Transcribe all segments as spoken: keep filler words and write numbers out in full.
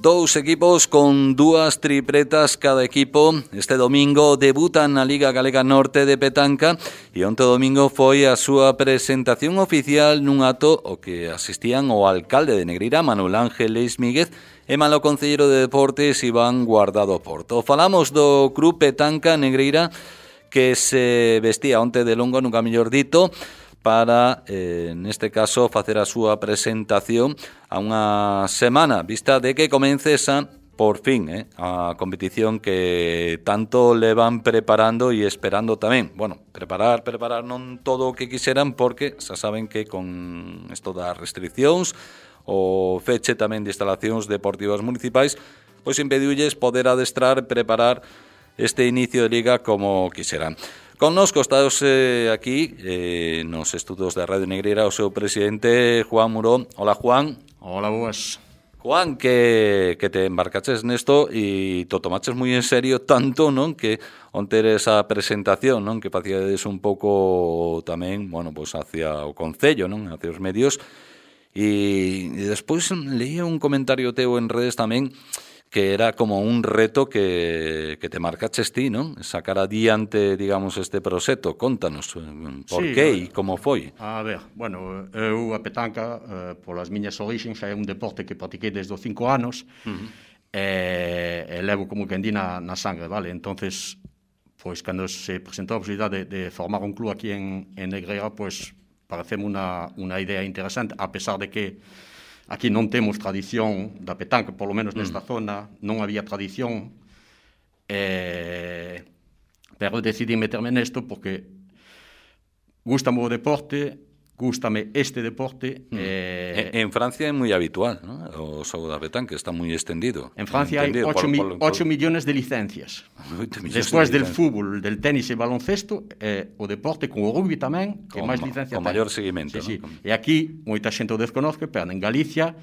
Dous equipos con dúas tripletas cada equipo. Este domingo debutan na Liga Galega Norte de Petanca e onte domingo foi a súa presentación oficial nun acto o que asistían o alcalde de Negreira, Manuel Ángel Leis Míguez, e malo concelleiro de Deportes, Iván Guardado Porto. Falamos do Club Petanca Negreira que se vestía onte de longo, nunca mellor dito, para, eh, neste caso, facer a súa presentación a unha semana, vista de que comece esa, por fin, eh, a competición que tanto le van preparando e esperando tamén. Bueno, preparar, preparar non todo o que quixeran, porque xa saben que con isto das restriccións, o feche tamén de instalacións deportivas municipais, pois impediulles poder adestrar e preparar este inicio de liga como quixeran. Connosco estáos eh, aquí eh, nos estudos da Radio Negreira o seu presidente Juan Muró. Hola, Juan. Hola, boas. Juan, que, que te embarcaches nesto e to tomaches moi en serio tanto, non, que onte esa presentación, non, que facíades un pouco tamén, bueno, pois hacia o concello, non, hacia os medios, e, e despois leía un comentario teu en redes tamén que era como un reto que, que te marcaches ti, non? Sacar adiante, digamos, este proxecto. Contanos por sí, que e como foi. A ver, bueno, eu a petanca, eh, polas miñas orixens, é un deporte que practiquei desde os cinco anos, uh-huh. e, e levo como que andí na, na sangre, vale? Entonces, pois, cando se presentou a posibilidade de, de formar un club aquí en, en Negreira, pois, pareceme unha, unha idea interesante, a pesar de que aquí non temos tradición da petanca, polo menos nesta mm. zona, non había tradición, eh, pero decidí meterme nesto porque gústame o deporte, gústame este deporte. Mm. Eh, en, en Francia é moi habitual, ¿no? O xogo da petanca está moi extendido. En Francia hai ocho millones de licencias. Despois del fútbol, del tenis e baloncesto, eh, o deporte con o rugby tamén, que con, máis licencias con maior seguimento. Sí, ¿no? Sí. E aquí, moita xente o desconozca, pero en Galicia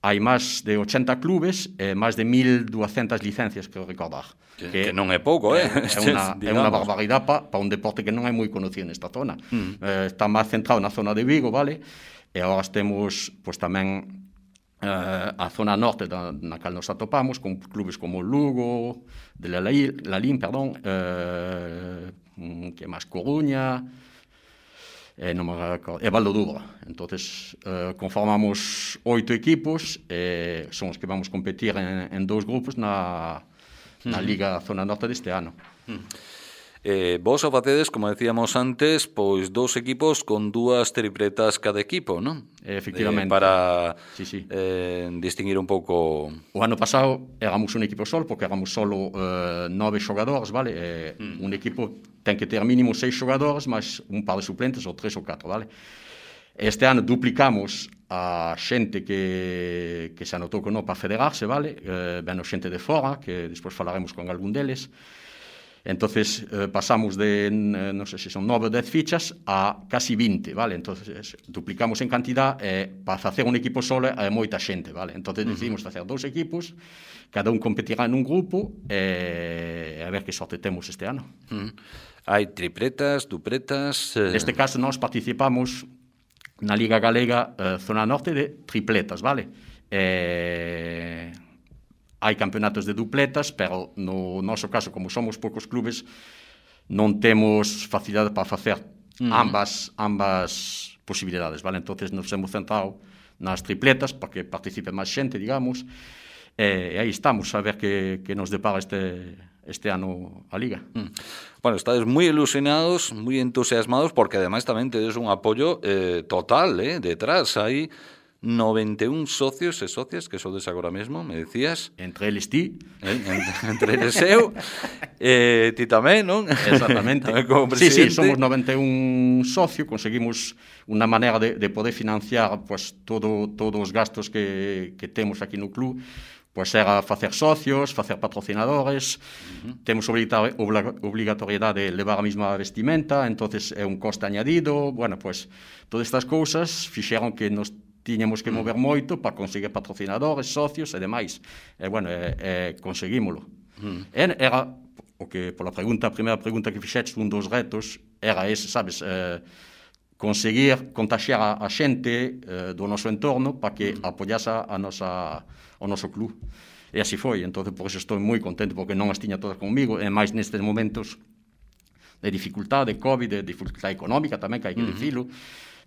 hai máis de ochenta clubes e máis de mil duascentas licencias, creo recordar. Que, que, que non é pouco, eh? É unha, é unha barbaridade para pa un deporte que non é moi conocido nesta zona. Mm. Eh, está máis centrado na zona de Vigo, vale? E agora temos, pois, tamén eh, a zona norte da, na cal nos atopamos, con clubes como Lugo, de la, la Lalín, perdón, eh, que máis Coruña, e non me recordo, e Valdo Duro. Entonces, eh, conformamos oito equipos, e son os que vamos competir en, en dous grupos na, na Liga Zona Norte deste ano. Eh, vos o facedes, como decíamos antes, pois dous equipos con dúas tripletas cada equipo, non? Efectivamente. Eh, para sí, sí. Eh, distinguir un pouco. O ano pasado éramos un equipo solo, porque éramos solo eh, nove xogadores, vale? Eh, mm. Un equipo ten que ter mínimo seis xogadores, máis un par de suplentes, ou tres ou catro, vale? Este ano duplicamos a xente que, que se anotou con non para federarse, vale? Eh, veno xente de fora, que despois falaremos con algún deles. Entonces eh, pasamos de, eh, non sei se son nove ou dez fichas a casi vinte, vale? Entonces duplicamos en cantidad, eh, para facer un equipo solo é moita xente, vale? Entonces decidimos facer dous equipos, cada un competirá nun grupo, e eh, a ver que sorte temos este ano. Uh-huh. Hai tripletas, dupletas... Eh... Neste caso nós participamos na Liga Galega eh, Zona Norte de tripletas, vale? Eh... Hai campeonatos de dupletas, pero no noso caso, como somos poucos clubes, non temos facilidade para facer uh-huh. ambas ambas posibilidades, vale? Entonces nos hemos centrado nas tripletas para que participe máis xente, digamos, e aí estamos a ver que, que nos depara este, este ano a Liga. Uh-huh. Bueno, estades moi ilusionados, moi entusiasmados, porque ademais tamén tedes un apoio eh, total, eh, detrás, aí noventa e un socios e socias que sodes agora mesmo, me decías. Entre eles ti. Eh, entre eles eu. eh, ti tamén, non? Exactamente. Sí, sí, somos noventa e un socios, conseguimos unha maneira de, de poder financiar pues, todo, todos os gastos que, que temos aquí no club. Pois era facer socios, facer patrocinadores, uh-huh. temos obrigatoriedade de levar a mesma vestimenta, entonces é un coste añadido, bueno, pois todas estas cousas fixeron que nos tiñamos que mover moito para conseguir patrocinadores, socios e demais. E, bueno, e, e conseguímolo. Mm. Era, o que, pola pregunta, a primeira pregunta que fixetes, un dos retos, era ese, sabes, eh, conseguir contagiar a, a xente uh, do noso entorno para que apoyase a nosa, o noso club. E así foi, entón por iso estou moi contento, porque non as tiña todas comigo, e máis nestes momentos de dificultade, de COVID, de dificultade económica tamén, que hai que uh-huh. dicilo.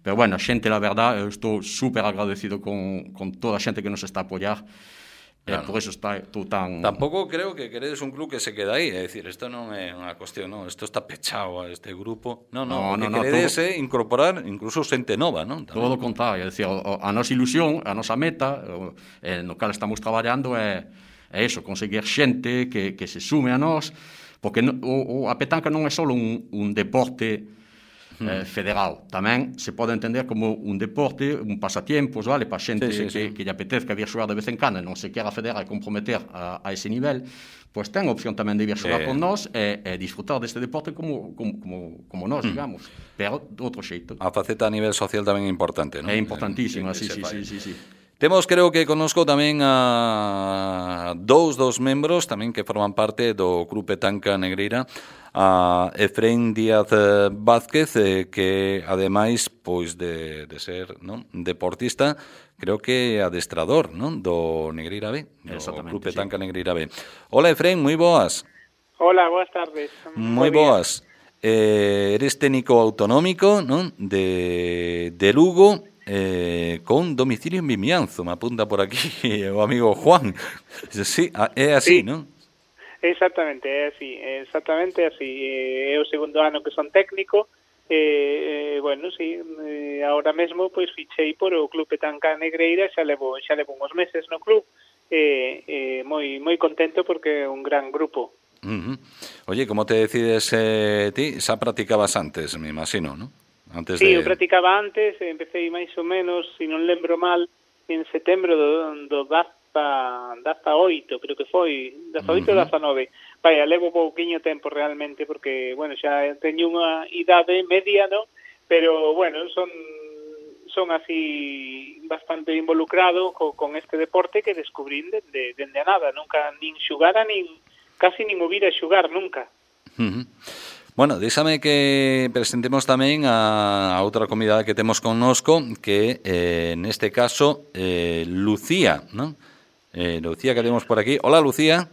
Pero bueno, a xente, la verdad, eu estou super agradecido con, con toda a xente que nos está a apoiar. Claro. Eh, por eso está tú tan... Tampouco creo que queredes un club que se queda aí, é dicir, isto non é unha cuestión, non, isto está pechado a este grupo. Non, non, no, o que no, queredes no, todo... é incorporar incluso xente nova, non? Tamén. Todo o contrario, é dicir, a nosa ilusión, a nosa meta, eh, no cal estamos traballando é, é eso, conseguir xente que, que se sume a nós, porque no, o, a petanca non é só un, un deporte Eh, federal, tamén se pode entender como un deporte, un pasatiempos, vale, para xente sí, sí, que, sí. que lle apetezca vir xogar de vez en cando e non se quera federar e comprometer a, a ese nivel, pois ten a opción tamén de vir xogar sí. con nós e, e disfrutar deste deporte como, como, como, como nós, mm. digamos, pero de outro xeito. A faceta a nivel social tamén é importante, non? É importantísima, sí, sí, sí, sí, sí. Temos, creo que conozco tamén a dous dos membros tamén que forman parte do Club Petanca Negreira, a Efrén Díaz Vázquez, eh, que ademais pois de, de ser, non, deportista, creo que adestrador, non, do Negreira B, do Club Petanca sí. Negreira B. Hola, Efrén, moi boas. Hola, boas tardes. Moi boas. Eh, eres técnico autonómico, non, de, de Lugo, eh, con domicilio en Vimianzo, me apunta por aquí o amigo Juan. Sí, é así, sí. non? Exactamente, é así, exactamente así. É o segundo ano que son técnico, e, eh, bueno, sí, eh, ahora mesmo pois fichei por o Club Petanca Negreira, xa levo, xa levo uns meses no club, e eh, eh, moi moi contento porque é un gran grupo. Uh-huh. Oye, como te decides eh, ti? Xa practicabas antes, me imagino, ¿no? Antes sí, de... eu practicaba antes, empecé máis ou menos, se non lembro mal, en setembro do, do dezaoito, creo que foi, dezaoito ou dezanove. Vaya, levo pouquiño tempo realmente, porque, bueno, xa teño unha idade media, ¿no? Pero, bueno, son son así bastante involucrado co, con este deporte que descubrín dende de, de a nada, nunca nin xugara, nin casi nin o vira xugar, nunca. Uh-huh. Bueno, déxame que presentemos tamén a, a outra convidada que temos connosco, que eh, neste caso, eh, Lucía, ¿no? Eh, Lucía, que temos por aquí. Hola, Lucía.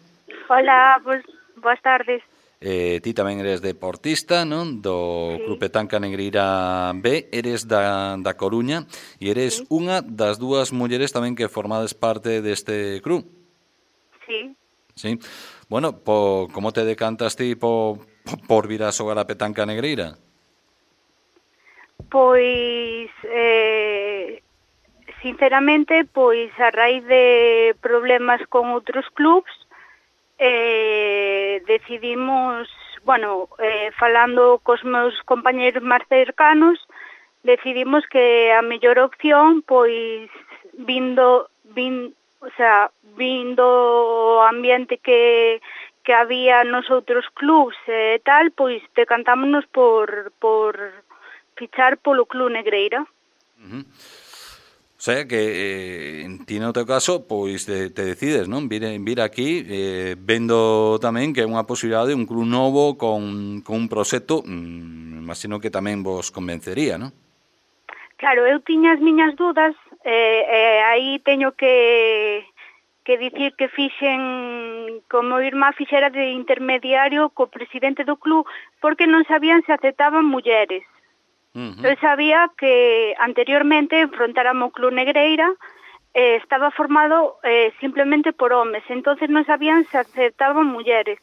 Hola, pues, boas tardes. Eh, ti tamén eres deportista, non? Do sí. Club Petanca Negreira B, eres da, da Coruña, e eres sí. unha das dúas mulleres tamén que formades parte deste club. Sí. Sí. Bueno, po, como te decantas ti po, po, por vir a xogar a Petanca Negreira? Pois, eh, sinceramente, pois a raíz de problemas con outros clubs, eh, decidimos, bueno, eh, falando cos meus compañeros máis cercanos, decidimos que a mellor opción, pois, vindo, vindo, o sea, vindo o ambiente que, que había nos outros clubs e eh, tal, pois decantámonos por, por fichar polo Club Negreira. Uh-huh. O sea, que eh, ti no teu caso, pois te, te decides, non? Vir, vir aquí, eh, vendo tamén que é unha posibilidade de un club novo con, con un proxecto, mmm, imagino que tamén vos convencería, non? Claro, eu tiña as miñas dudas, e eh, eh, aí teño que, que dicir que fixen, como irmá fixera de intermediario co presidente do club, porque non sabían se aceptaban mulleres. Uh-huh. Eu sabía que anteriormente enfrontáramos o Club Negreira eh, estaba formado eh, simplemente por homes, entonces non sabían se aceptaban mulleres.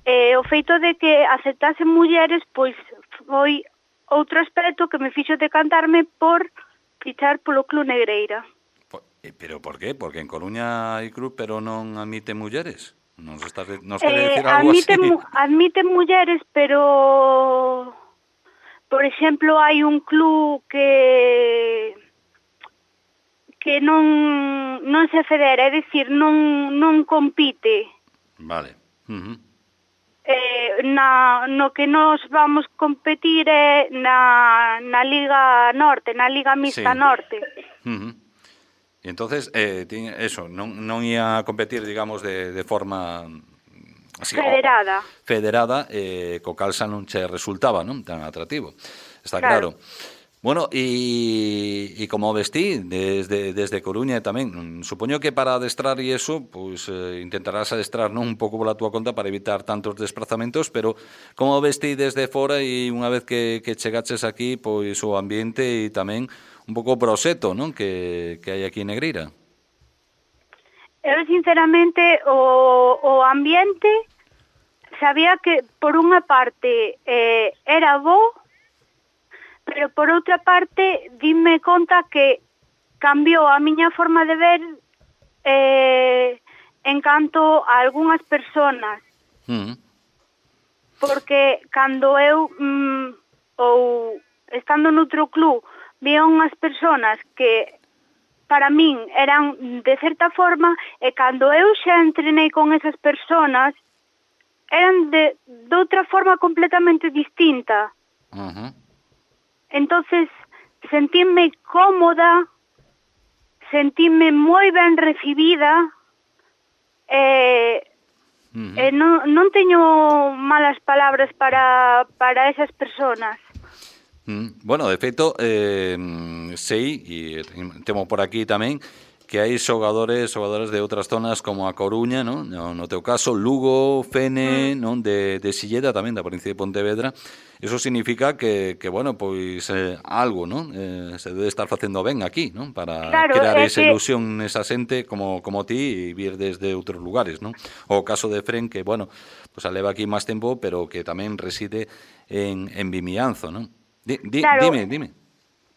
Eh, o feito de que aceptasen mulleres, pois foi outro aspecto que me fixo decantarme por fichar polo Club Negreira. Pero por qué? Porque en Coruña hai club, pero non admite mulleres? Nos, estás, nos quere eh, decir algo admite, así? Admite mulleres, pero... Por exemplo, hai un club que que non non se federa, é dicir, non non compite. Vale. Uh-huh. Eh, na, no que nos vamos competir é na, na Liga Norte, na Liga Mixta sí. Norte. Uh-huh. E entonces, eh, eso, non, non ia a competir, digamos, de, de forma... Así, federada. Federada, eh, co cal xa non che resultaba, non? Tan atractivo. Está claro. claro. Bueno, y, y como vestí desde, desde Coruña tamén, supoño que para adestrar e eso, pois eh, intentarás adestrar non un pouco pola túa conta para evitar tantos desplazamentos, pero como vestí desde fora e unha vez que, que chegaches aquí, pois o ambiente e tamén un pouco o proxecto, non, que, que hai aquí en Negreira? Eu, sinceramente, o, o ambiente sabía que, por unha parte, eh, era bo, pero por outra parte dime conta que cambiou a miña forma de ver eh, en canto a algunhas personas. Mm. Porque cando eu mm, ou estando noutro club vía unhas personas que para min eran de certa forma, e cando eu xa entrenei con esas personas eran de, de outra forma completamente distinta. Uh-huh. Entonces, sentíme cómoda, sentíme moi ben recibida, e, uh-huh. e non, non teño malas palabras para, para esas personas. Mm, bueno, de feito, eh, sei, e temo por aquí tamén, que hai xogadores, xogadores de outras zonas como a Coruña, non? No, no teu caso, Lugo, Fene, mm. non? De, de Silleda tamén, da provincia de Pontevedra. Eso significa que, que bueno, pois eh, algo, non? Eh, se debe estar facendo ben aquí, non? Para claro, crear esa que... ilusión nesa xente como, como ti e vir desde outros lugares, non? O caso de Fren, que, bueno, pues aleva aquí máis tempo, pero que tamén reside en, en Vimianzo, non? Di, di, claro, dime, dime.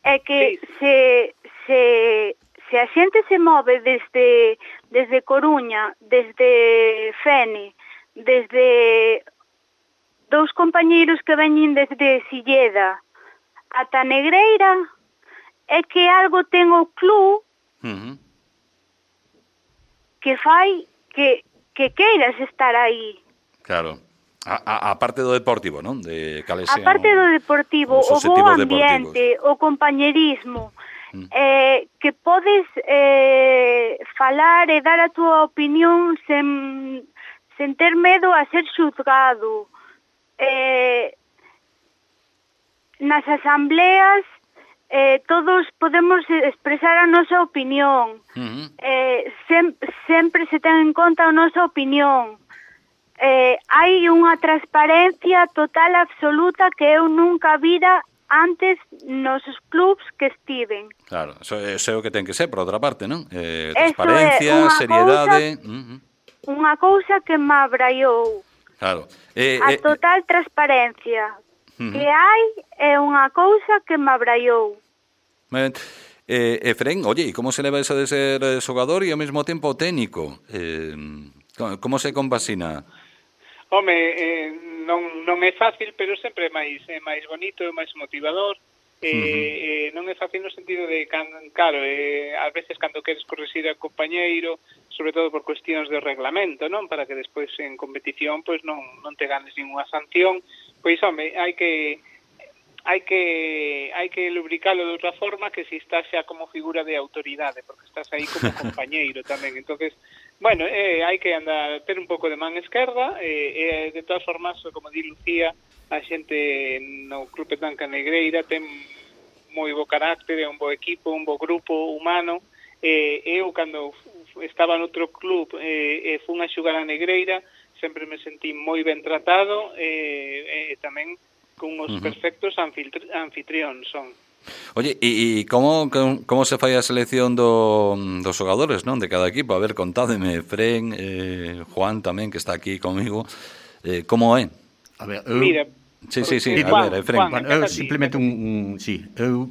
É que se... se... Se a xente se move desde, desde Coruña, desde Fene, desde dous compañeiros que veñen desde Silleda ata Negreira, é que algo ten o club uh-huh. que fai que, que queiras estar aí. Claro. A, a, a parte do deportivo, non? De a parte do deportivo, o bo ambiente, deportivos. O compañerismo, Eh, que podes eh, falar e dar a túa opinión sen, sen ter medo a ser xuzgado. Eh, nas asambleas eh, todos podemos expresar a nosa opinión. Uh-huh. eh, sem, sempre se ten en conta a nosa opinión. Eh, hai unha transparencia total absoluta que eu nunca vira antes nos clubs que estiven. Claro, eso, eso é o que ten que ser, por outra parte, non? Eh, transparencia, seriedade... Cousa, uh-huh. Unha cousa que me abraiou. Claro. Eh, a eh, total transparencia uh-huh. que hai é unha cousa que me abraiou. Ben, eh, Efren, oye, e como se leva eso de ser xogador e ao mesmo tempo técnico? Eh, como se compasina? Home, eh, non, non é fácil, pero sempre é máis, é máis bonito, é máis motivador. Eh, uh-huh. eh, non é fácil no sentido de, can, claro, eh, ás veces cando queres corrixir ao compañeiro, sobre todo por cuestións de reglamento, non? Para que despois en competición pois non, non te ganes ninguna sanción. Pois, home, hai que... hai que hai que lubricalo de outra forma que se estás xa como figura de autoridade, porque estás aí como compañeiro tamén. Entonces, bueno, eh, hai que andar ter un pouco de man esquerda, e eh, de todas formas, como di Lucía, a xente no Club Petanca Negreira ten moi bo carácter, é un bo equipo, un bo grupo humano. Eh, eu, cando estaba no outro club e eh, fun a xogar a Negreira, sempre me sentí moi ben tratado, e eh, eh, tamén con os uh-huh. perfectos anfitrións son. Oye, e, e como, como se fai a selección do, dos xogadores, non? De cada equipo? A ver, contádeme, Fren, eh, Juan tamén, que está aquí comigo. Eh, como é? A ver, eu... Mira, sí, sí, sí, Juan, a ver, Fren. Juan, eu simplemente un, un... Sí, eu...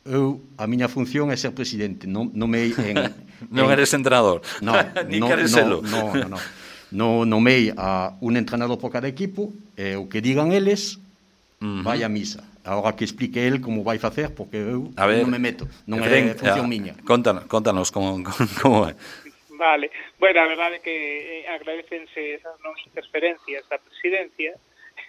Eu, a miña función é ser presidente, non, non me en... non en, eres entrenador. No, Ni no, queres no, selo. no, no, no. No nomei a un entrenador por cada equipo, e o que digan eles, uh-huh. vai a misa. Agora que explique el como vai facer, porque eu a ver, non me meto, non é función a, miña. Contanos, contanos como, como é. Vale, bueno, a verdade é que eh, agradecense esas non interferencias da presidencia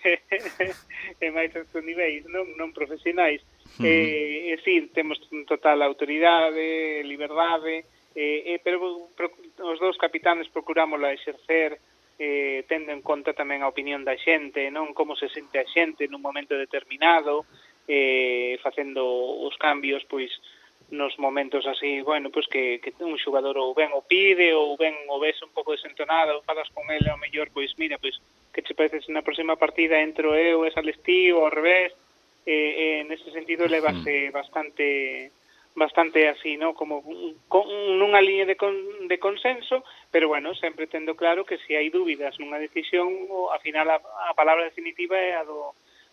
e máis estes niveis non, non profesionais. Uh-huh. Eh, e sí, temos total autoridade, liberdade, eh, eh, pero pro, os dous capitanes procurámosla exercer eh, tendo en conta tamén a opinión da xente, non como se sente a xente nun momento determinado, eh, facendo os cambios, pois, nos momentos así, bueno, pois que, que un xogador ou ben o pide, ou ben o ves un pouco desentonado, ou falas con ele, ao mellor, pois, mira, pois, que che parece se na próxima partida entro eu e sales ti, ou ao revés, e, e nese sentido levase bastante bastante así, ¿no? Como con, nunha liña de, con, de consenso, pero bueno, sempre tendo claro que se hai dúbidas nunha decisión, ao final a, a palabra definitiva é a do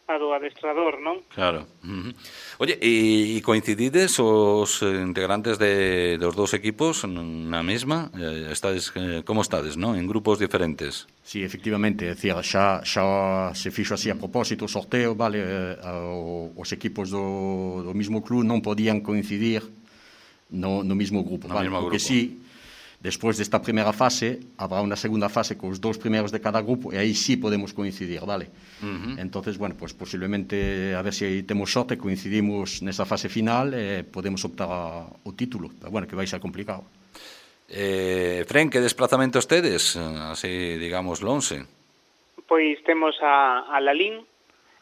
a do adestrador, non? Claro. Uh-huh. Oye, e, e coincidides os integrantes de, dos dous equipos na mesma? Eh, estades, eh, como estades, non? En grupos diferentes? Sí, efectivamente, é dicir, xa, xa se fixo así a propósito o sorteo, vale, eh, os equipos do, do mismo club non podían coincidir no, no mismo grupo, no vale, mismo porque grupo. sí, despois desta primeira fase, habrá unha segunda fase cos dous primeiros de cada grupo, e aí sí podemos coincidir, vale? Uh-huh. Entonces, bueno, pues posiblemente, a ver se si temos sorte, coincidimos nesa fase final e eh, podemos optar ao título, pero bueno, que vai ser complicado. Eh, Fren, que desplazamentos tedes? Así, digamos, lonxe. Pois temos a, a Lalín.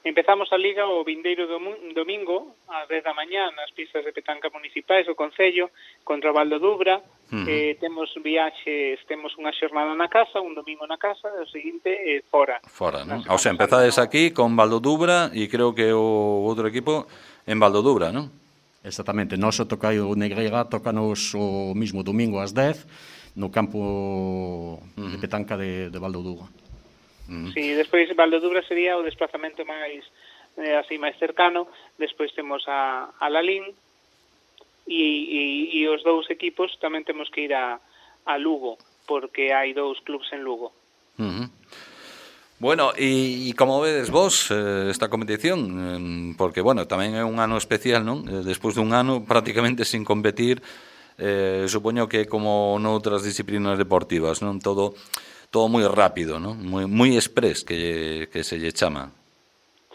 Empezamos a Liga o vindeiro domingo ás dez da mañá nas pistas de petanca municipais do Concello contra o Valdo Dubra. Uh-huh. eh, temos viaxes, temos unha xornada na casa, un domingo na casa, e o seguinte eh, fora. Fora, non? O sea, empezades aquí con Valdo Dubra e creo que o outro equipo en Valdo Dubra, non? Exactamente, nós o toca o Negreira, tocanos o mismo domingo ás dez no campo uh-huh. de petanca de, de Valdo Dubra. Uh-huh. Sí, despois Valdo Dubra sería o desplazamento máis eh, así máis cercano. Despois temos a, a Lalín e, e, e os dous equipos tamén temos que ir a, a Lugo, porque hai dous clubs en Lugo. Uh-huh. Bueno, e, e como vedes vos eh, esta competición? Eh, porque, bueno, tamén é un ano especial, non? Eh, despois dun ano prácticamente sin competir, eh, supoño que como noutras disciplinas deportivas, non? Todo todo moi rápido, non? Moi, moi express que, que se lle chama.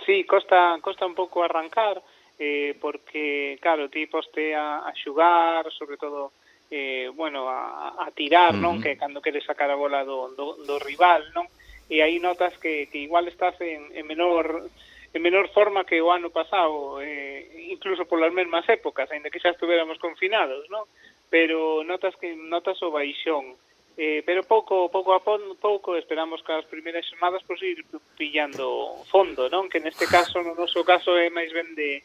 Sí, costa, costa un pouco arrancar, eh, porque, claro, ti poste a, a xugar, sobre todo, eh, bueno, a, a tirar, uh-huh. non? Que cando queres sacar a bola do, do, do rival, non? E aí notas que, que igual estás en, en menor en menor forma que o ano pasado, eh, incluso polas mesmas épocas, ainda que xa estuveramos confinados, non? Pero notas que notas o baixón. Eh, pero pouco pouco a pouco esperamos que as primeiras xornadas pois ir pillando fondo, non? Que neste caso, no noso caso, é máis ben de,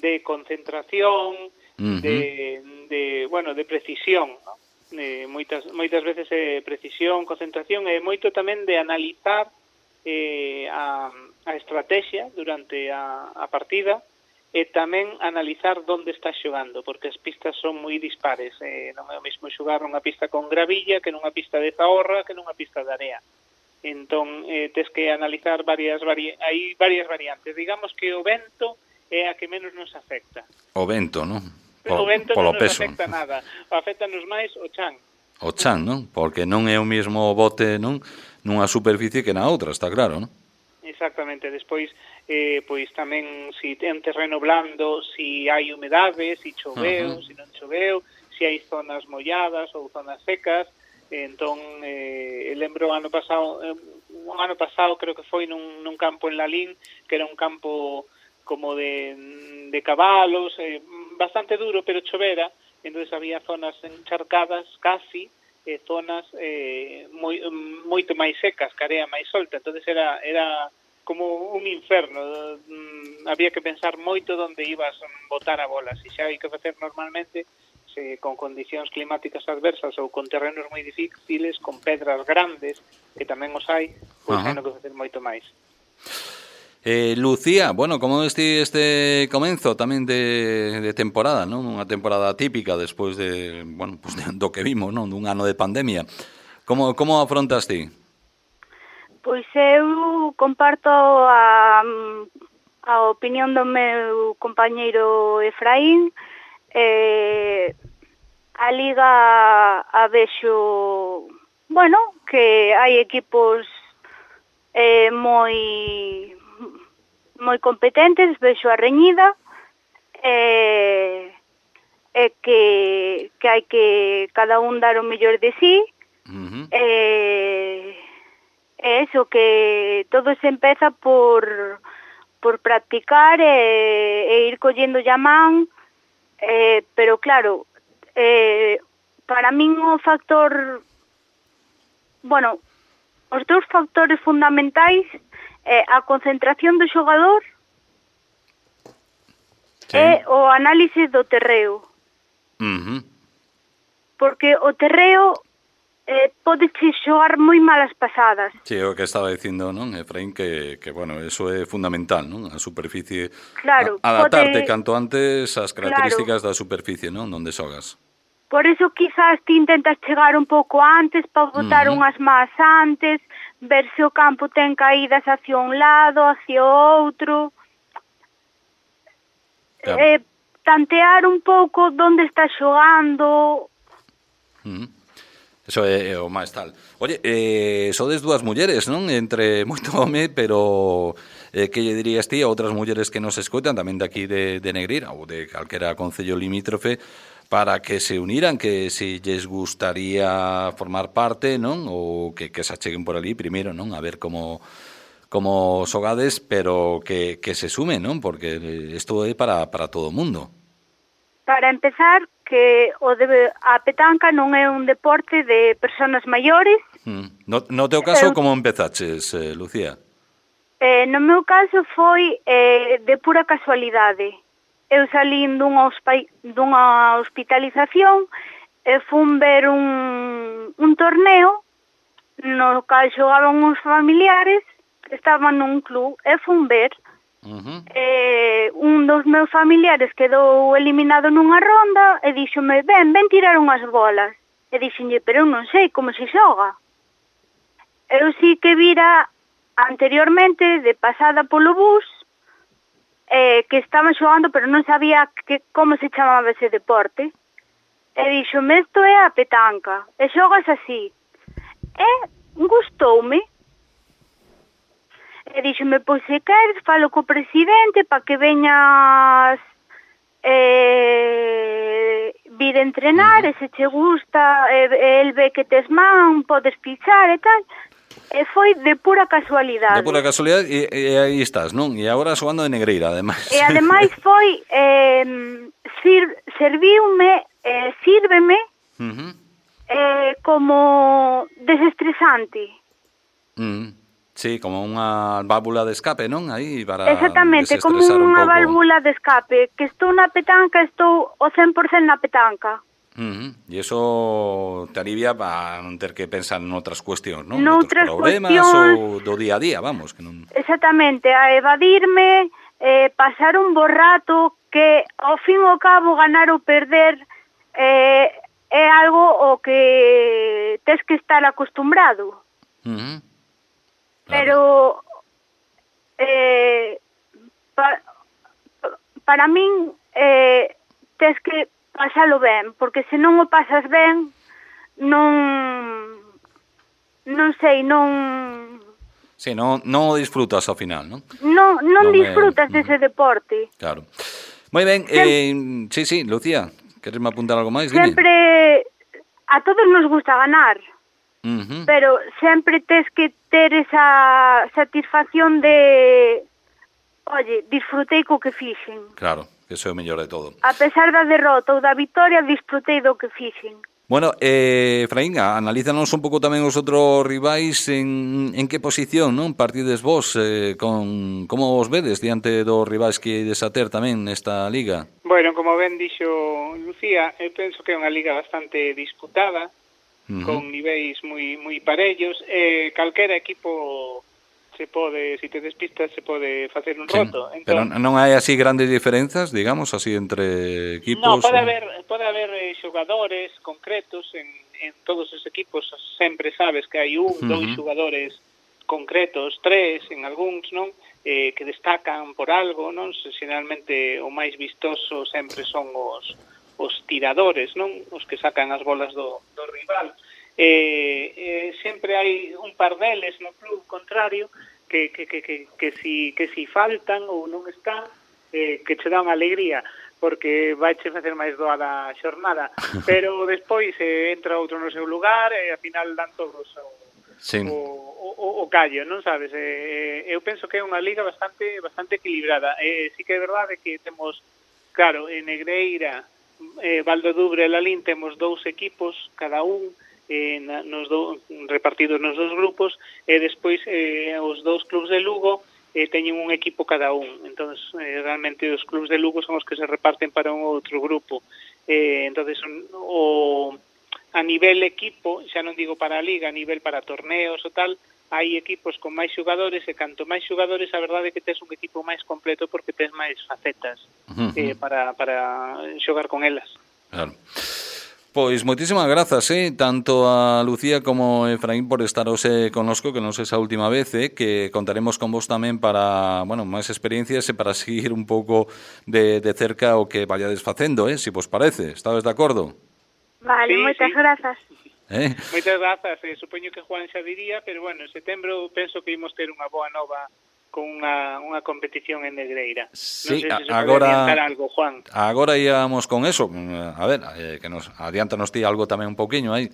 de concentración, uh-huh. de, de, bueno, de precisión, non? Eh, moitas, moitas veces é precisión, concentración, e moito tamén de analizar eh, a, a estrategia durante a, a partida, e tamén analizar onde está xogando, porque as pistas son moi dispares. Eh, non é o mesmo xogar nunha pista con gravilla que nunha pista de zaorra que nunha pista de area. Entón, eh, tes que analizar varias vari... hai varias variantes. Digamos que o vento é a que menos nos afecta. O vento, non? O vento non nos peso. afecta nada. Afectanos máis o chan. O chan, non? Porque non é o mesmo bote, non? Nunha superficie que na outra, está claro, non? Exactamente. Despois, eh, pois tamén se si ten terreno blando, se si hai humedade, se si choveu, se uh-huh. si non choveu, se si hai zonas molladas ou zonas secas. Entón, eh, lembro ano pasado, eh, un ano pasado creo que foi nun, nun campo en Lalín, que era un campo como de, de cabalos, eh, bastante duro, pero chovera, entonces había zonas encharcadas casi, eh, zonas eh, moi, moito máis secas, que area máis solta, entonces era era como un inferno, mm, había que pensar moito onde ibas a botar a bola, se xa hai que facer normalmente, se con condicións climáticas adversas ou con terrenos moi difíciles, con pedras grandes, que tamén os hai, pois hai no que facer moito máis. Eh, Lucía, bueno, como este este comenzo tamén de, de temporada, non? Unha temporada típica despois de, bueno, pues de, do que vimos, non? Dun ano de pandemia. Como como afrontas ti? Pois eu comparto a, a opinión do meu compañeiro Efraín. Eh, a Liga a vexo, bueno, que hai equipos eh, moi moi competentes, vexo a reñida, e, e que, que hai que cada un dar o mellor de sí, uh-huh. e, e eso, que todo se empeza por por practicar e, e ir collendo llamán, eh, pero claro, eh, para min o factor, bueno, os dous factores fundamentais é a concentración do xogador sí. e o análise do terreo. Uh-huh. Porque o terreo eh, pode xogar moi malas pasadas. Sí, o que estaba dicindo, non, Efraín, que, que bueno, eso é fundamental, non? A superficie, claro, a, adaptarte pode... canto antes ás características claro. da superficie, non, onde xogas. Por eso quizás ti intentas chegar un pouco antes para botar uh-huh. unhas más antes, ver se o campo ten caídas hacia un lado, hacia outro. Claro. Eh, tantear un pouco onde está xogando. Uh-huh. Eso é, é o máis tal. Oye, eh, sodes dúas mulleres, non? Entre moito home, pero eh, que lle dirías ti a outras mulleres que nos escoitan tamén de aquí de, de Negreira ou de calquera concello limítrofe para que se uniran, que se lles gustaría formar parte, non? Ou que, que se acheguen por ali primeiro, non? A ver como como xogades, pero que, que se sumen, non? Porque isto é para, para todo o mundo. Para empezar, que o de a petanca non é un deporte de persoas maiores. Mm. No, no teu caso, eu, como empezaches, eh, Lucía? Eh, no meu caso foi eh, de pura casualidade. Eu salín dunha, dunha hospitalización e fun ver un, un torneo no cal xogaban uns familiares que estaban nun club e fun ver. Uh-huh. Eh, un dos meus familiares quedou eliminado nunha ronda e díxome, ven, ven tirar unhas bolas. E díxenlle, pero eu non sei como se xoga. Eu sí que vira anteriormente, de pasada polo bus, eh, que estaban xogando, pero non sabía que, como se chamaba ese deporte. E díxome, isto é a petanca, e xogas así. E gustoume. E díxome, pois se queres, falo co presidente para que veñas eh, vir a entrenar, uh-huh. e se che gusta, e, e el ve que tes man, podes pichar e tal. E foi de pura casualidade. De pura casualidade, e, e aí estás, non? E agora xogando de Negreira, ademais. E ademais foi, eh, sir, serviume, eh, sírveme, uh-huh. eh, como desestresante. Uh-huh. Sí, como unha válvula de escape, non? Aí para exactamente, como unha válvula de escape. Que estou na petanca, estou o cen por cento na petanca. Uh-huh. E iso te alivia para non ter que pensar en outras cuestións, non? Noutras problemas cuestións... ou do día a día, vamos. Que non... Exactamente, a evadirme, eh, pasar un bo rato que, ao fin ao cabo, ganar ou perder eh, é algo o que tes que estar acostumbrado. Uh-huh. Pero eh, pa, para min eh, tes que pasalo ben, porque se non o pasas ben non non sei, non sí, non, non o disfrutas ao final, non? Non, non, non disfrutas é... dese deporte. Claro. Moi ben, eh, sí, sí, Lucía, queres me apuntar algo máis? Dime. Sempre a todos nos gusta ganar. Uh-huh. Pero sempre tes que ter esa satisfacción de oye, disfrutei co que fixen. Claro, que eso é o mellor de todo. A pesar da derrota ou da victoria, disfrutei do que fixen. Bueno, eh, Efraín, analízanos un pouco tamén os outros rivais en, en que posición, non? Partides vos, eh, con, como os vedes diante dos rivais que ides a ter tamén nesta liga? Bueno, como ben dixo Lucía, eu penso que é unha liga bastante disputada, Uh-huh. con niveis moi moi parellos, e eh, calquera equipo se pode, se te despistas, se pode facer un roto. Sí, entón, pero non hai así grandes diferenzas, digamos, así entre equipos? No, pode o... haber, pode haber eh, xogadores concretos en, en todos os equipos, sempre sabes que hai un, uh-huh. dous xogadores concretos, tres, en algúns, non? Eh, que destacan por algo, non? Xeralmente o máis vistoso sempre son os os tiradores, non? Os que sacan as bolas do, do rival. Eh, eh, sempre hai un par deles no club contrario que, que, que, que, que, si, que si faltan ou non están, eh, que che dan alegría, porque vaiche facer máis doada a xornada. Pero despois eh, entra outro no seu lugar e ao final dan todos o, sí. o, o, o o callo, non sabes? Eh, eu penso que é unha liga bastante bastante equilibrada. Eh, sí que é verdade que temos, claro, en Negreira, eh, Valdodubre e Lalín temos dous equipos, cada un, eh, na, nos do, repartidos nos dos grupos, e despois eh, os dous clubs de Lugo eh, teñen un equipo cada un. Entón, eh, realmente os clubs de Lugo son os que se reparten para un outro grupo. Eh, entón, o... a nivel equipo, xa non digo para a liga, a nivel para torneos ou tal, hai equipos con máis xogadores e canto máis xogadores, a verdade é que tes un equipo máis completo porque tes máis facetas uh-huh. eh, para, para xogar con elas. Claro. Pois moitísimas grazas, eh, tanto a Lucía como a Efraín por estaros eh, conosco, que non sei esa última vez, eh, que contaremos con vos tamén para, bueno, máis experiencias e para seguir un pouco de, de cerca o que vayades facendo, eh, si vos parece. Estades de acordo? Vale, sí, moitas sí. grazas. Eh? Moitas grazas, eh, supoño que Juan xa diría, pero bueno, en setembro penso que imos ter unha boa nova con unha, unha competición en Negreira. Sí, non sei se se agora, pode adiantar algo, Juan. Agora íamos con eso. A ver, eh, que nos adiántanos ti algo tamén un pouquiño aí.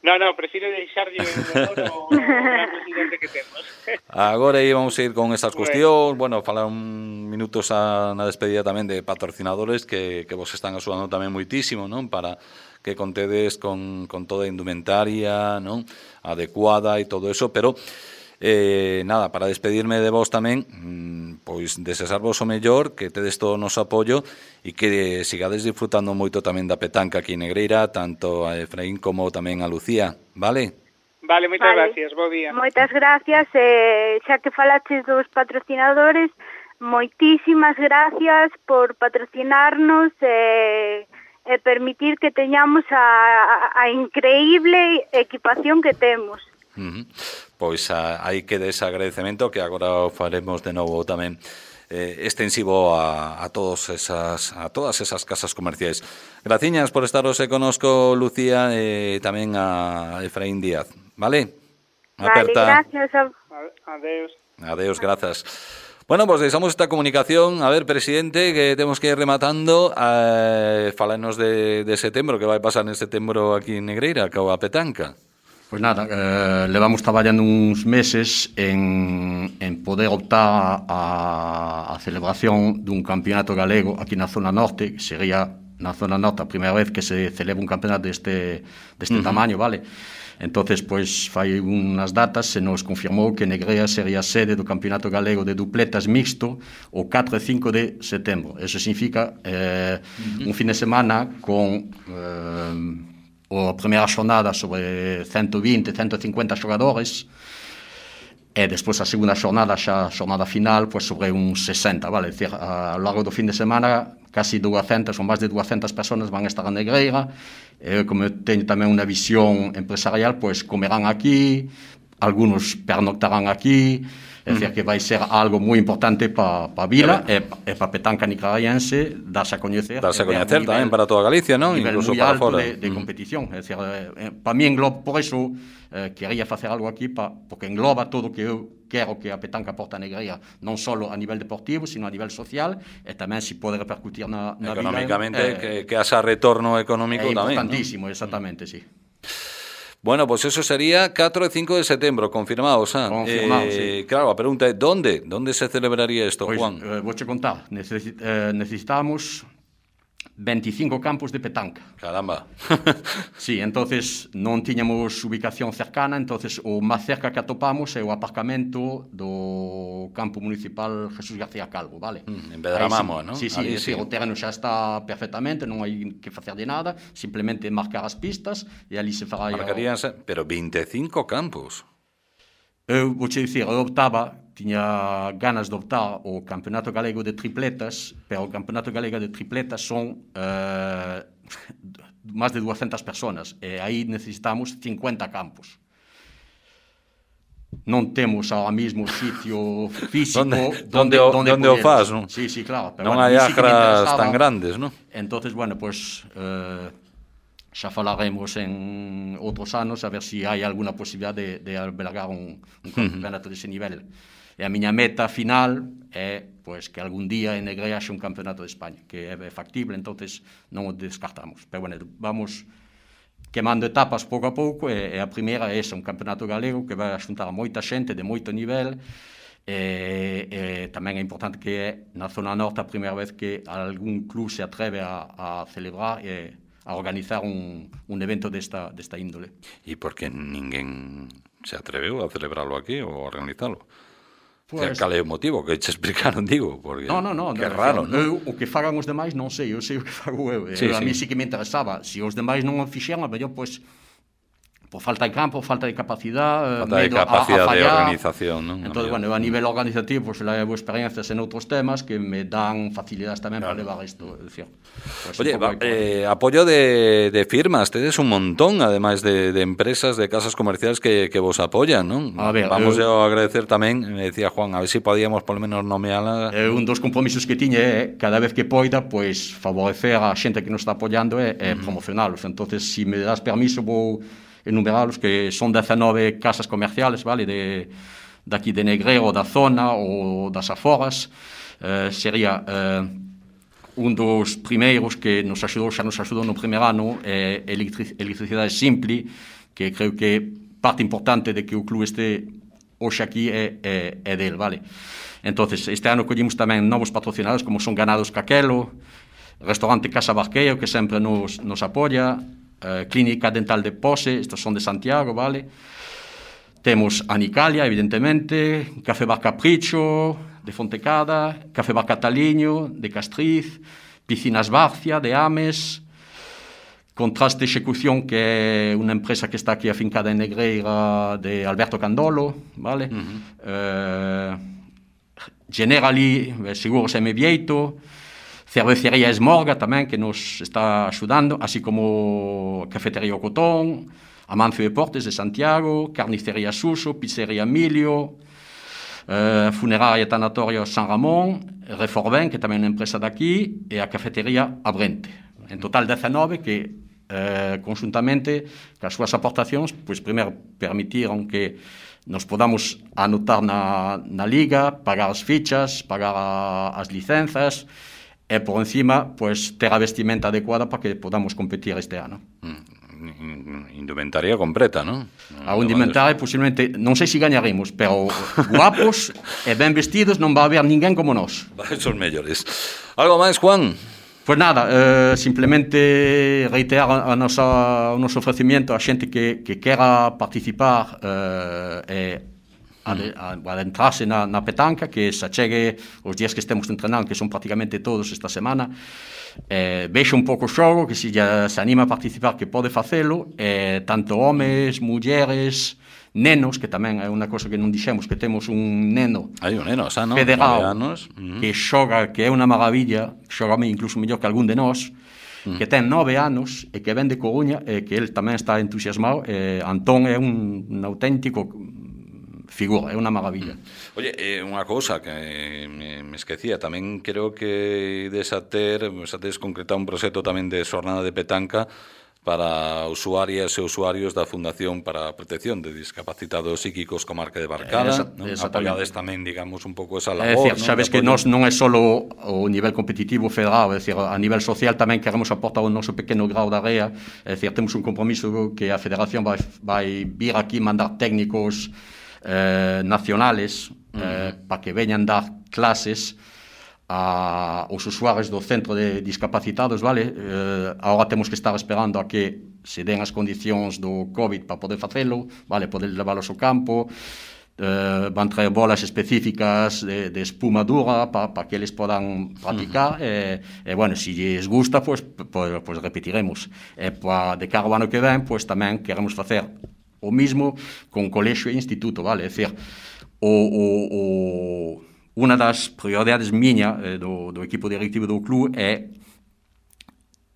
No, no, prefiro deixarlle o gran presidente que temos. Agora íbamos a ir con estas cuestións, bueno, falar un minutos a, na despedida tamén de patrocinadores que, que vos están axudando tamén moitísimo, non? Para que contedes con, con toda a indumentaria, non? Adecuada e todo eso, pero eh, nada, para despedirme de vos tamén, pois desexarvos o mellor, que tedes todo o noso apoio e que sigades disfrutando moito tamén da petanca aquí en Negreira, tanto a Efraín como tamén a Lucía, vale? Vale, moitas vale. gracias, bo día. Moitas gracias, eh, xa que falaches dos patrocinadores, moitísimas gracias por patrocinarnos e eh, eh, permitir que teñamos a, a, a increíble equipación que temos. Uh-huh. Pois a, aí queda ese agradecemento que agora o faremos de novo tamén eh, extensivo a, a todos esas a todas esas casas comerciais. Graciñas por estaros e conosco, Lucía, e tamén a Efraín Díaz, vale? Aperta. Vale, gracias. A... Adeus. Adeus, grazas. Bueno, pues deixamos esta comunicación. A ver, presidente, que temos que ir rematando. Eh, falanos de, de setembro, que vai pasar en setembro aquí en Negreira, coa petanca. Pois nada, eh, levamos traballando uns meses en, en poder optar a, a celebración dun campeonato galego aquí na zona norte, que sería na zona norte a primeira vez que se celebra un campeonato deste, deste uh-huh. tamaño, vale? Entonces, pois, fai unhas datas se nos confirmou que Negreira sería a sede do Campeonato Galego de Dupletas Mixto o catro e cinco de setembro. Eso significa eh, uh-huh. un fin de semana con... Eh, a primeira xornada sobre ciento vinte, ciento cincuenta xogadores e despois a segunda xornada, xa a xornada final, pues sobre uns sesenta, vale? Decir, a lo largo do fin de semana casi duzentas ou máis de duzentas personas van estar a Negreira e como teño tamén unha visión empresarial, pues comerán aquí, algunos pernoctarán aquí. É dicir, que vai ser algo moi importante para pa a vila e, e para a petanca nicaragüense, darse a coñecer. Darse a coñecer tamén para toda Galicia, non? Incluso para fora. De, de mm. competición. É dicir, eh, para mí engloba, por eso, eh, quería facer algo aquí, pa, porque engloba todo o que eu quero que a petanca porta a Negreira, non só a nivel deportivo, sino a nivel social, e tamén se pode repercutir na, na económicamente, vida. Eh, que, que haxa retorno económico é tamén. É importantísimo, ¿no? Exactamente, sí. Bueno, pues eso sería catro e cinco de setembro, confirmados. ¿eh? Confirmado, eh, sí. Claro, a pregunta é, ¿dónde? ¿Dónde se celebraría esto, pues, Juan? Eh, vou che contar. Necesi eh, necesitamos veinticinco campos de petanca. Caramba. Sí, entonces non tiñamos ubicación cercana, entonces o máis cerca que atopamos é o aparcamento do campo municipal Jesús García Calvo, vale? Mm, en Pedramamo, sí, ¿no? Sí, sí, Ahí, sí, sí, o terreno xa está perfectamente, non hai que facer de nada, simplemente marcar as pistas e ali se fará... Marcaríanse, o... pero veinticinco campos. Eu vou che dicir, eu optaba, tiña ganas de optar o Campeonato Galego de Tripletas, pero o Campeonato Galego de Tripletas son eh, máis de duzentas personas, e aí necesitamos cincuenta campos. Non temos ahora mismo sitio físico donde, donde, donde, donde o faz, non? Sí, sí, claro. Pero non bueno, hai acras tan grandes, non? Entonces, bueno, pues... Eh, xa falaremos en outros anos a ver se si hai alguna posibilidade de, de albergar un, un campeonato uh-huh. dese nivel. E a miña meta final é pues, que algún día en Negreira haxe un campeonato de España, que é factible, entonces non o descartamos. Pero bueno, vamos quemando etapas pouco a pouco, e, e a primeira é esa, un campeonato galego que vai a xuntar a moita xente de moito nivel, e, e tamén é importante que é na zona norte a primeira vez que algún club se atreve a, a celebrar e a organizar un, un evento desta, desta índole. E por que ninguén se atreveu a celebrarlo aquí ou a organizarlo? Pues, cal é o motivo que te explicaron, digo, porque no, no, no, que no, raro, non? Eu, o que fagan os demais non sei, eu sei o que fago eu, sí, eu a sí. mí sí que me interesaba, se os demais non o fixeran, a mellor, pois, por falta de campo, falta de capacidade, falta de capacidade de organización, non? Entón, bueno, eu a nivel organizativo, pois, levo experiencias en outros temas que me dan facilidades tamén claro. para levar isto, é dicir. Pues, oye, va, eh, apoio de, de firmas, tedes un montón, ademais de, de empresas, de casas comerciales que, que vos apoyan, non? A ver, vamos eu, a agradecer tamén, me decía Juan, a ver se si podíamos por lo menos nomeala. Eh, un dos compromisos que tiñe é, cada vez que poida, pois, favorecer a xente que nos está apoiando e eh, mm. promocionalos. Entonces, se si me das permiso, vou enumeralos, que son dezanove casas comerciales, vale, de, de aquí de Negreiro, da zona ou das aforas. Eh, sería eh, un dos primeiros que nos axudou, xa nos axudou no primeiro ano, é eh, electric, Electricidade Simple, que creo que parte importante de que o club este hoxe aquí é, é, é del, vale. Entonces, este ano collimos tamén novos patrocinados, como son Ganados Caquelo, Restaurante Casa Barqueiro, que sempre nos, nos apoia, Uh, Clínica Dental de Pose, estos son de Santiago, vale? Temos Anicalia, evidentemente, Café Bar Capricho, de Fontecada, Café Bar Cataliño, de Castriz, Piscinas Barcia, de Ames, Contraste Execución, que é unha empresa que está aquí afincada en Negreira, de Alberto Candolo, vale? Uh-huh. Uh, Generali, Seguros M. Vieito, Cervecería Esmorga tamén, que nos está axudando, así como Cafetería O Cotón, Amancio Deportes de Santiago, Carnicería Suso, Pizzería Emilio, eh, Funeraria Tanatorio San Ramón, Reforben, que tamén é unha empresa daqui, e a Cafetería Abrente. En total dezanove que, eh, conjuntamente, cas súas aportacións, pois primeiro permitiron que nos podamos anotar na, na liga, pagar as fichas, pagar a, as licenzas, e por encima, pues, ter a vestimenta adecuada para que podamos competir este ano. Mm, indumentaria completa, non? A un indumentaria, posiblemente, non sei se gañaremos, pero guapos e ben vestidos non va a haber ninguén como nós. Son mellores. Algo máis, Juan? Pues nada, eh, simplemente reiterar a nosa, o noso ofrecimiento a xente que, que quera participar eh, e Ad, adentrarse na, na petanca, que se achegue os días que estemos entrenando, que son prácticamente todos esta semana, eh, vexe un pouco o xogo, que se, ya, se anima a participar, que pode facelo, eh, tanto homes, mulleres, nenos, que tamén é unha cosa que non dixemos, que temos un neno, Hai un neno xa, no? federal, uh-huh. que xoga, que é unha maravilla, xoga incluso mellor que algún de nós, uh-huh. que ten nove anos e que ven de Coruña, e que el tamén está entusiasmado. eh, Antón é un, un auténtico figura, é unha maravilla. Oye, eh, unha cousa que me, me esquecía, tamén creo que desater, desater concretar un proxecto tamén de xornada de petanca para usuarias e usuarios da Fundación para a Protección de Discapacitados Psíquicos Comarca de Barcala, Esa, non? Apoiades tamén, digamos, un pouco esa labor. É dicir, sabes que nós non é só o nivel competitivo federal, é dicir, a nivel social tamén queremos aportar o noso pequeno grau de area, é dicir, temos un compromiso que a Federación vai, vai vir aquí mandar técnicos Eh, nacionales eh, uh-huh. para que veñan dar clases a, aos usuarios do centro de discapacitados, vale? Eh, agora temos que estar esperando a que se den as condicións do COVID para poder facelo, vale? Poder leválos ao campo, eh, van traer bolas específicas de, de espuma dura para pa que eles podan practicar, uh-huh. e, e, bueno, se lles gusta, pues, pues, pues repetiremos. E pa, de cara ao ano que ven, pues tamén queremos facer o mismo con colexio e instituto, vale? É dicir, o, o, o, unha das prioridades miña eh, do, do equipo directivo do club é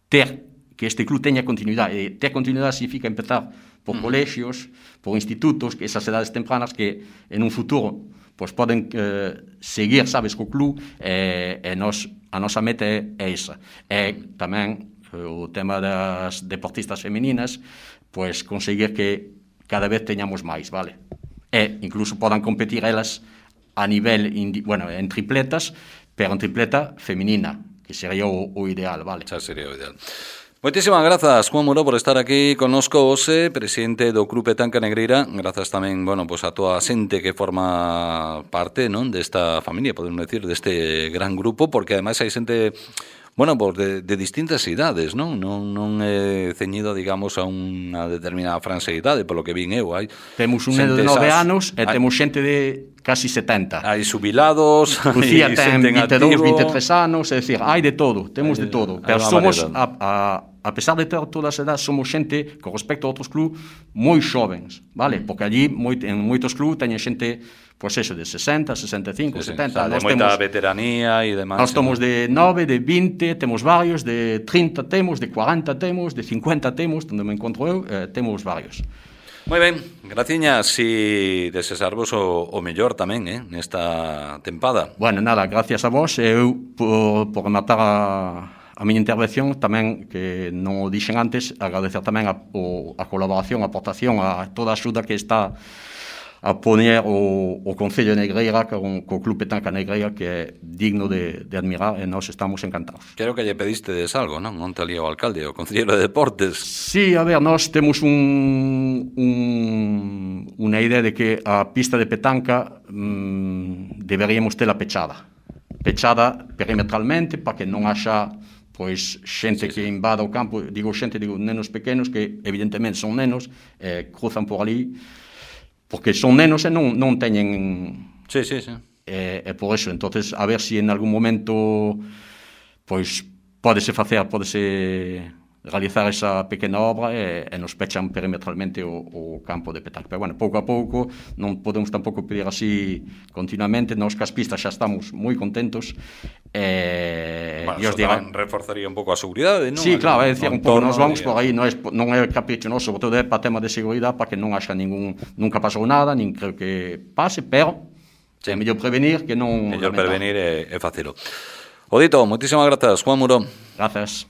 ter, que este club teña continuidade. E ter continuidade significa empezar por colexios, por institutos, que esas edades tempranas que en un futuro pues, poden eh, seguir, sabes, co club, e, e nos, a nosa meta é, é esa. E tamén eh, o tema das deportistas femininas, pues conseguir que cada vez teñamos máis, vale? E incluso podan competir elas a nivel, indi, bueno, en tripletas, pero en tripleta feminina, que sería o, o ideal, vale? Xa sería o ideal. Moitísimas grazas, Juan Muro, por estar aquí connosco hoxe, presidente do Club Petanca Negreira. Grazas tamén, bueno, pues a toda a xente que forma parte, non, desta familia, podemos decir, deste gran grupo, porque ademais hai xente, bueno, pues de, de distintas idades, non? Non, non é ceñido, digamos, a unha determinada franxa de idade, polo que vin eu. Hai temos un neno de nove anos e hai, temos xente de casi setenta. Hai xubilados, Lucía ten vinte e dous, vinte e tres anos, é dicir, hai de todo, temos hai, de todo. Pero somos, a, a, a pesar de ter todas as edades, somos xente, con respecto a outros clubes, moi xovens, vale? Porque allí, moi, en moitos clubes, teñen xente, pois pues eso, de sesenta, sesenta e cinco, sí, setenta. Sí, de moita veteranía e demais. Nós temos de nove, de vinte, temos varios, de trinta temos, de cuarenta temos, de cincuenta temos, onde me encontro eu, eh, temos varios. Moi ben, graciñas, e desexarvos o, o mellor tamén, eh, nesta tempada. Bueno, nada, gracias a vos, eu, por, por rematar a, a miña intervención, tamén, que non o dixen antes, agradecer tamén a, o, a colaboración, a aportación, a toda a axuda que está a poner o, o Concello de Negreira con, co Club Petanca Negreira, que é digno de, de admirar, e nós estamos encantados. Creo que lle pedistedes algo, non? Onte ali ao alcalde, o Concelleiro de Deportes. Sí, a ver, nós temos un, un, unha idea de que a pista de petanca mm, deberíamos tela pechada. Pechada perimetralmente, para que non haxa pois xente sí, que sí. invada o campo, digo xente, digo nenos pequenos, que evidentemente son nenos, eh, cruzan por ali, porque son nenos e non, non teñen... Sí, sí, sí. E, e por eso, entonces, a ver si en algún momento pois pódese facer, pódese realizar esa pequena obra e, e nos pechan perimetralmente o, o campo de petanca. Pero, bueno, pouco a pouco, non podemos tampouco pedir así continuamente. Nos cas pistas xa estamos moi contentos. E, bueno, e os dirán, reforzaría un pouco a seguridade, non? Sí, claro, é dicir, un pouco, nos vamos de... por aí, non é, non é capricho, non, sobre todo é para tema de seguridade, para que non haxa ningún, nunca pasou nada, nin creo que pase, pero sí. É mellor prevenir que non... Mellor prevenir e, e facelo. O dito, moitísimas grazas, Juan Muro. Grazas.